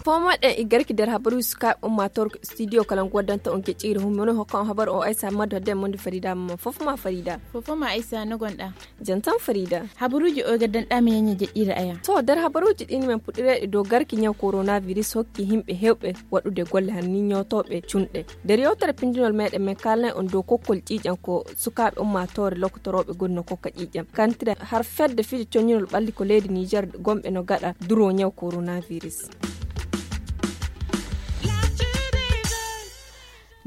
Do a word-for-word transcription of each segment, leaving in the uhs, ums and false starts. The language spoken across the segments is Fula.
Fomoɗen e garki nder habaruuji sukaaɓe ummaatoor studio kala ngu waddanta on geƴƴiire hummono hokka on habaru o aysa maddo den monde farida mamma fof ma farida. Fof ma aysa no gonɗa? Jantan farida. Habaruuji o gaddanɗa mi ñaña jeƴƴiire aya. To nder habaruuji ɗin men puɗɗireɗe dow garki ñaw coronavirus hokki himɓe hewɓe waɗude golle hanni ñootooɓe cunɗe. Nder yewtere pindinol meɗen men kalnay on dow kokkol ƴiiƴan ko sukaaɓe ummaatoore lokotorooɓe gonno kokka ƴiiƴan kantira har fedde fijo coñinol ɓalli ko leydi niger gonɓe no gaɗa duro ñaw coronavirus.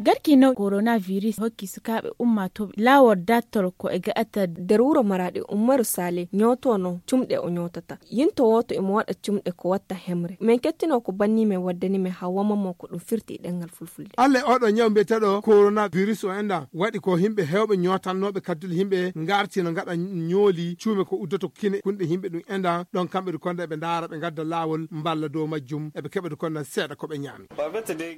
Garki naw coronavirus hokki sukaaɓe ummaatooɓe laawol dattol ko e ga'ata nder wuro maraɗi ummaru sale ñootono cumɗe o ñootata yinto wooto imo waɗa cumɗe ko watta hemre men kettino ko banni men waddani men hawwamammo ko ɗum firti e ɗengal fulfulde. Alla e oɗo ñaw mbiyeteɗo coronavirus o enɗan waɗi ko himɓe hewɓe ñootannooɓe kaddule himɓe ngarti no ngaɗa ñooli cuume ko uddoto kine kunɗe himɓe ɗum enɗan ɗon kamɓe ɗum konda eɓe ndaara ɓe ngadda laawol mballa dow majjum eɓe keɓa ɗum konda seeɗa ko ɓe ñaami.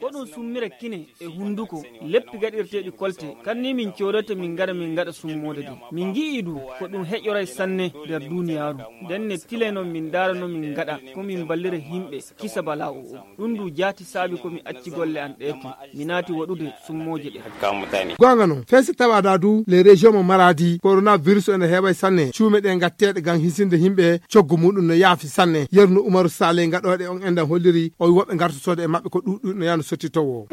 Ko ɗum summira kine e hunnduko leppi gaɗirteeɗi kolte kanni min coodata min ngara min ngaɗa summoode de min ngi'i ɗum ko ɗum heƴoray sanne nder duniyaaru. Nden ne tilay non min ndaara no min ngaɗa ko min mballira himɓe kisa bala o o ɗum du jaati saabi ko mi acci golle an ɗe to mi naati waɗude summooje ɗe. Goonga non fense tawaɗa du les régions mo maradi coronavirus ene heeway sanne cuume ɗe gatteeɗe ngam hisinde himɓe coggu muɗum no yaafi sanne yerno umaru sale gaɗooɗe on enɗan holliri o wi woɓɓe gartotoode e maɓɓe ko ɗuɗɗuɗi no yano sottitowo.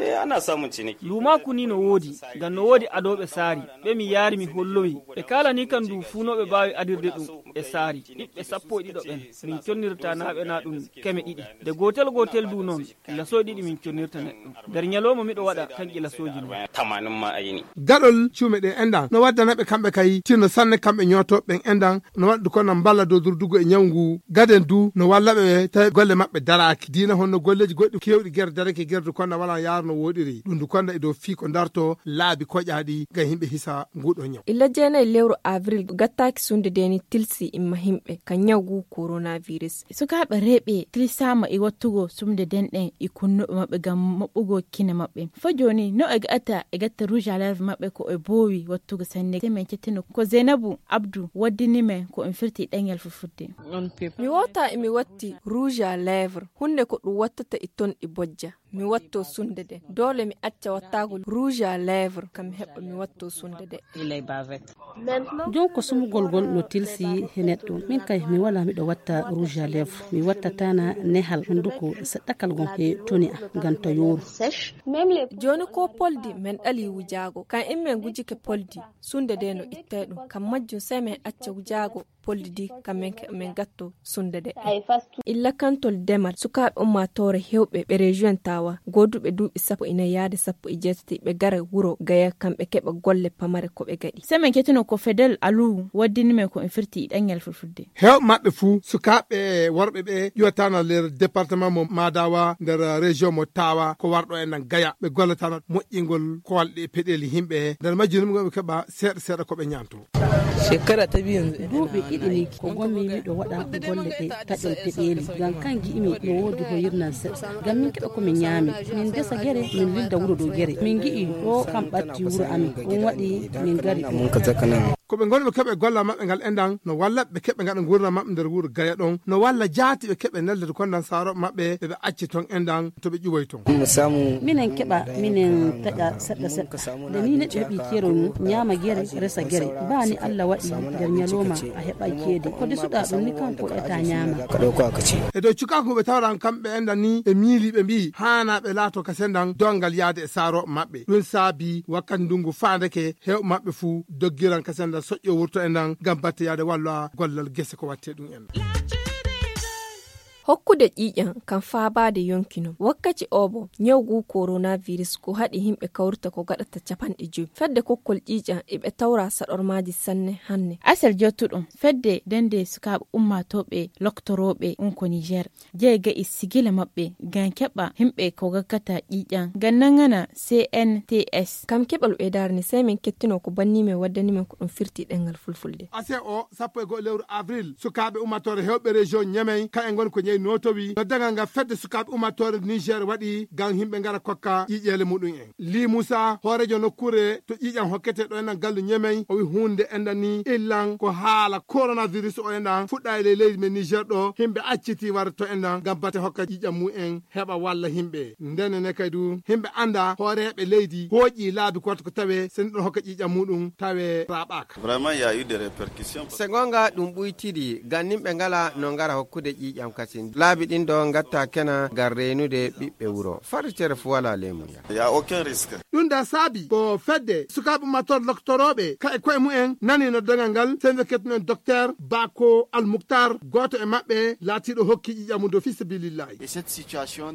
Luumaaku ni no woodi ngam no woodi adooɓe saari ɓe mi yaari mi hollowi ɓe kaalani kam du fuunooɓe mbaawi adirde ɗum e saari ɓiɓɓe sappo e ɗiɗo ɓen min connirta naaɓe na ɗum keme ɗiɗi nde gootel gootel du noon lasoy ɗiɗi min connirta neɗɗo nder ñalooma miɗo waɗa kanƴe lasooji noon. Gaɗol cuume ɗe enɗan no waddana ɓe kamɓe kay tinno sanne kamɓe ñootooɓe ɓen enɗan no waɗdu kono mballa dow durdugo e ñaw ngu gaden du no walla ɓe tawi golle maɓɓe daraaki diina honno golleeji goɗɗi keewɗi gere darake gerdu konda wala yaaro no wooɗiri ɗum du konda e dow fii ko darto laabi koƴaaɗi ngam yimɓe hisa nguɗo ñaw. Illa jeenayi lewru avril gattaaki sunde deni tilsi imma himɓe ka ñaw ngu coronavirus. Sukaaɓe reeɓe tilsaama e wattugo sumde denɗen e kunnuɓe maɓɓe ngam maɓɓugo kine maɓɓe fo jooni no e gatta e gatta rouge à lèvre maɓɓe ko e boowi wattugo sanne se min cettino ko zeynabu abdu waddini men ko en firti ɗengal fulfulde. Mi wota emi watti rouge à lèvre hunde ko ɗum wattata e ton ɗi bojja mi watto sunde de doole mi acca wattaago rouge à lèvre kam mi heɓa mi watto sunde de. Jon ko sumugol ngol no tilsi he neɗɗo min kay mi wala miɗo watta rouge à lèvre mi wattatana nehal hunduko seɗɗakal ngon he toni a ngam ta yooru. Jooni ko poldi men ɗali wujaago kan immen ngujike poldi sunde de no ittay ɗum kam majjum sey men acca wujaago poldi di kam men keɓa men gatto sunde de. Illa kantol demal sukaaɓe ummaatoore hewɓe ɓe région tawa gooduɓe duuɓi sappo e nayi yaade sappo e jeetati ɓe gara wuro gaya kamɓe keɓa golle pamare ko ɓe gaɗi. Sey men kettino ko fedel alu waddini men ko en firti ɗengal fulfulde. Heewɓe maɓɓe fuu sukaaɓe e worɓe ɓe ƴuwataana nder département mo madawa nder région mo tawa ko warɗo e nan gaya ɓe gollataana moƴƴingol koolɗe e peɗeeli yimɓe nder majjinum ɓe keɓa seeɗa seeɗa ko ɓe ñaanto. Duuɓi ɗiɗi ni ko gommi miɗo waɗa golle ɗe taƴol peɗeeli ngam kan gi'imi no woodi hoyirnan seɗɗa ngam min keɓa ko min ñaami min ndesa gere min lilda wuro dow gere min gi'i ɗo kam ɓatti wuro amin ɗum waɗi min ngari ɗo. Ko ɓe ngoni ɓe keɓa e gollal maɓɓe ngal enɗan no walla ɓe keɓa ngaɗa ngurnam maɓɓe nder wuro gaya ɗon no walla jaati ɓe keɓa nelde to kondan saaroɓe maɓɓe ɓe ɓe acci ton enɗan to ɓe ƴuwoy ton. Minen keɓa minen taƴa seɗɗa seɗɗa nde ni neɗɗo heɓi keerol mum ñaama gere resa gere ba ni allah waɗi nder ñalowma a heɓay ceede ko desuɗa ɗum ni kanko eta ñaama. E dow cukaku ɓe tawran kamɓe enɗan ni ɓe miili ɓe mbi'i haana ɓe laato ka sendan dongal yaade e saaroɓe maɓɓe ɗum saabi wakkati ndungu faandeke hewɓe maɓɓe fuu doggiran ka sendan soƴƴo wurto enɗan ngam batte yaade walla gollal gese ko watte ɗum enɗan. Hokkude ƴiiƴan kam faabaade yonki non wakkati oo bo ñaw ngu coronavirus ko haɗi yimɓe kawrita ko gaɗata capanɗe jowi fedde kokkol ƴiiƴan eɓe tawra saɗormaaji sanne hanne. Asel jottuɗo fedde dende sukaaɓe ummaatooɓe loktorooɓe unko niger jeega e sigila maɓɓe ngam keɓa yimɓe ko gakkata ƴiiƴan ngam nangana cnts. Kam keɓal ɓeydaare ni sey min kettino ko banni men waddani men ko ɗum firti ɗengal fulfulde. Ase o sappo e go'o lewru avril sukaaɓe ummaatoore hewɓe région ñamey kaɓe ngoni ko ñawi. notowi no dagal ngal fedde sukaaɓe ummatore niger waɗi ngam yimɓe ngara kokka ƴiiƴeele muɗum en. Li musa hoorejo nokkuure to ƴiiƴam hokkete ɗo enɗan gallu ñemey o wi huunde enɗan ni illan ko haala coronavirus o enɗan fuɗɗa e ley leydi men niger ɗo yimɓe acciti warde to enɗan ngam bate hokka ƴiiƴam mum en heɓa walla yimɓe. Ndene ne kay du yimɓe annda hooreeɓe leydi hooƴi laabi goto ko tawe so neɗɗo hokka ƴiiƴam muɗum tawe raɓaka. Vraiment il y a eu des répercussions. Se gonga ɗum ɓuytiri ganninɓe ngala no ngara hokkude ƴiiƴam kasin laabi ɗin ɗo gatta kena ngam reynude ɓiɓɓe wuro farritere fu wala lemuya. Il y a aucun risque. Ɗum da saabi ko fedde sukaaɓe ummatore loktorooɓe ka e koye mumen nani no dagal ngal sende kettuno en docteur bako almuktar gooto e maɓɓe laatiiɗo hokki ƴiiƴam mum dow fisabilillahi.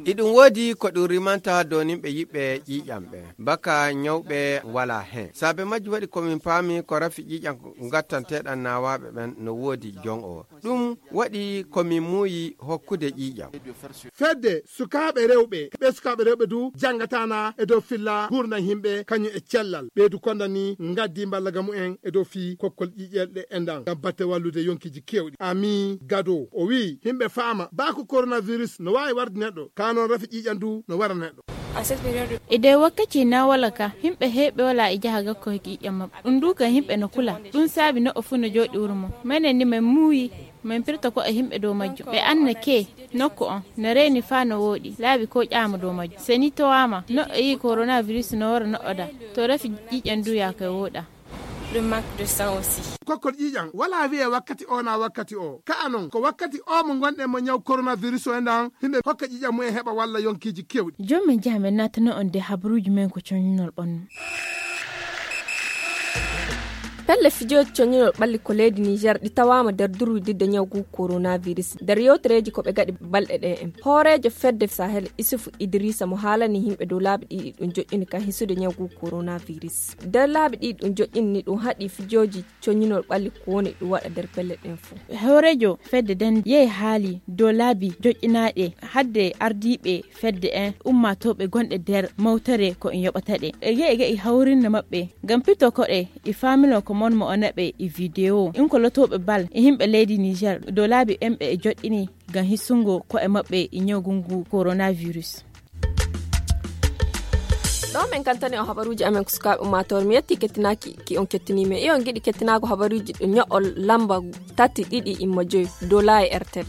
Iɗum woodi ko ɗum rimanta doninɓe yiɓɓe ƴiiƴam ɓe baka ñawɓe wala hen saabe majji waɗi komin paami ko rafi ƴiiƴam gattanteɗan nawaɓe ɓen no woodi jon o ɗum waɗi komin muuyi hokkude ƴiiƴam. Fedde sukaaɓe rewɓe ɓe sukaaɓe rewɓe du janngatana e dow filla gurdam yimɓe kañum e cellal ɓeydu kondani ngaddi mballaga mumen e dow fii kokkol ƴiiƴelɗe e ndan ngam batte wallude yonkiji kewɗi ami gado o wi yimɓe faama baa ko coronavirus no waawi warde neɗɗo ka noon rafi ƴiiƴam du no wara neɗɗo. E nder wakkati nawala ka yimɓe heewɓe wala e jaha gakko e ƴiiƴam maɓɓe ɗum du ka yimɓe no kula ɗum saabi neɗɗo fuu no jooɗi wuro mum menen ni men muuyi men pirta ko e yimɓe dow majjum ɓe anna ke nokku on no reeni faa no wooɗi laabi ko ƴaama dow majjum so ni towaama neɗɗo yii coronavirus no wara neɗɗo da to rafi ƴiiƴam du yaaka e wooɗa. Ɗum manque de sang aussi. Kokkol ƴiiƴam wala wiye wakkati o na wakkati o ka'a non ko wakkati o mo gonɗen mo ñaw coronavirus o enɗan yimɓe hokka ƴiiƴam mumen heɓa walla yonkiji kewɗi. Jooni min njaha min naatana on de habaruuji men ko coñinol ɓannu. Pelle fijooji coñinol ɓalli ko leydi niger ɗi tawaama nder durwididde ñaw ngu coronavirus nder yewtereeji ko ɓe gaɗi balɗe ɗe en hooreejo fedde sahel isufu idrisa mo haalani yimɓe dow laabi ɗiɗi ɗum joƴƴini kan hisude ñaw ngu coronavirus nder laabi ɗiɗi ɗum joƴƴini ni ɗum haɗi fijooji coñinol ɓalli ko woni ɗum waɗa nder pelle ɗen fof. Hooreejo fedde nden yehi haali dow laabi joƴƴinaaɗe hadde ardiiɓe fedde en ummaatooɓe gonɗe nder mawtere ko en yoɓata ɗe e ge'e ge'e hawrinde maɓɓe ngam pito koɗe e faamilo ko mon mo o naɓe e video in ko lotooɓe bal e yimɓe leydi niger dow laabi en ɓe e joɗɗini ngam hisungo ko'e maɓɓe e ñawgu ngu coronavirus. Ɗo min kantani on habaruuji amen ko sukaaɓe ummaatoore mi yetti kettinaaki ki on kettini men e on giɗi kettinaago habaruuji ɗo ño'ol lamba tati ɗiɗi imma joyi dow laayi airtel.